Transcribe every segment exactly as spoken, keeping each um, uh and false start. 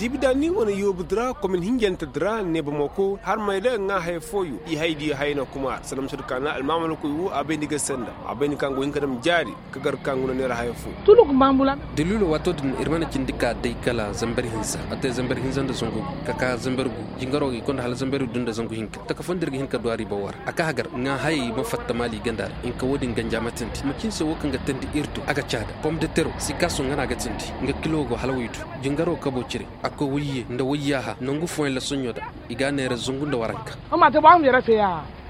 Ibidani wane yoobu dira komin hinjante dira ne bamako harmay da ŋwa haya fooyo i hay diyo hayana kuma ra sanda ma sohõ da kaana almaamalakoy wo a bay ni ga sanda a bay ni kaŋ go hin ka dam jaari ka gar kaŋ guna neera haya fo. Daliilo waato din iri mana cindi ka day kala zambar hinza a te zambar hinza nda zangu gu ka ka zambar gu jingaro ga i konda hala zambar gu du nda zangu hinka taka fo nda iri ga hin ka du a riiba wo ra a ka hagar ŋwa hayey ma fatta maali ganda ra hinka wo- din ganja ma tindi macin se wo kaŋ ga tindi iri do a ga caada pom de tero si kaaso ŋwa no a ga tindi nga kilo go hala waydu jingaro kabo cire a koy wayye nda wayyaaha nangu fooyaŋ lasoɲo da i ga a neera zangu nda waranka.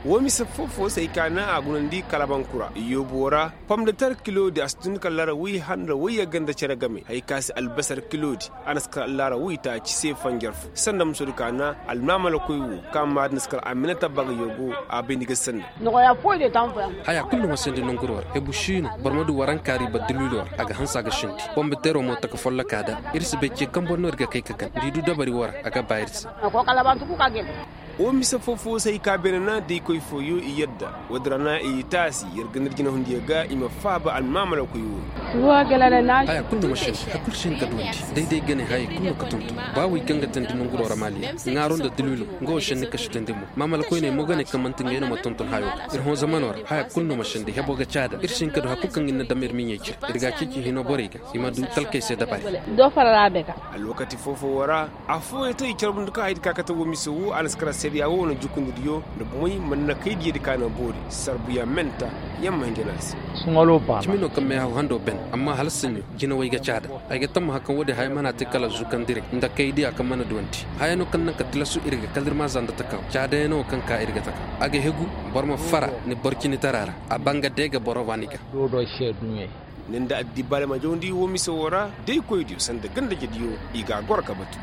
Woo mise foo foo se ay ka naŋ a gunandi kalabankura yoobo ra pom de ter kilo di a si tun kala laara way handa wayye ganda care game hari ka se albasar kilo di a na si kala laara way taaci se fanjar fo sanda muso di ka naŋ almaamalakoy wo kaŋ maadi na si kala aminata baga yoobo a bay ni ga sanda. Haya kulu no ma sandi nanguro ra hebu siino boro ma du waranka riiba dulwilo ra a ga hanse a ga sandi bombo teero mo taka folloka da iri si bay ce kambo no iri ga kay ka kan da i du dabari wo ra a ga ba iri se. Wo mise fo fo se ay ka beene na da ay koy fooyo i yadda wo- din ra na i taasi yer ga ni iri jinahundiyo ga i ma faaba almaamalakoy wo. Haya kulu no ma sandi hari kulu si hin ka duwandi day day gane hayey kulu no ga tonton ba wo i kaŋ ga tandi nanguro ra maaliya ŋwaaro nda dulwilo nga wo sandi kashi tandi mo maamalakoyney mo gane kaŋ manti ngey no ma tonton hayo ga iri hõ zamano ra haya kulu no ma sandi hebo ga caada iri si hin ka du hari kulu kaŋ ga ni na dam iri miɲey cire iri ga a ceeci hino borey ga i ma du talkey se dabari. Alwakati fo fo wo ra afooyaŋ te i carbundi kaŋ haydi ka kate wo mise wo a na si kara seeriya wo wane jukundidiyo nda bomoy mana na kay diyadi ka naŋ boori sarbuyaŋ menta yaŋ ma hinja no a se. Cimi no kaŋ meehaw hando ben amma hala saɲɲo jinawey ga caada ay ga tammaha kaŋ wo- din haya mana te kala zukandirey nda kay diya kaŋ mana duwandi haya no kaŋ naŋ ka tilasu iri ga kala iri ma za nda takaw caadayaŋ no kaŋ ka iri ga takaw a ga hegu boro ma fara ni boro cini tara ra a banga deega boro waani ga. Ni nda addibaale ma jawndi wo mise wo ra da ay koy diyo sanda ganda jediyo i ga a goro ka batu.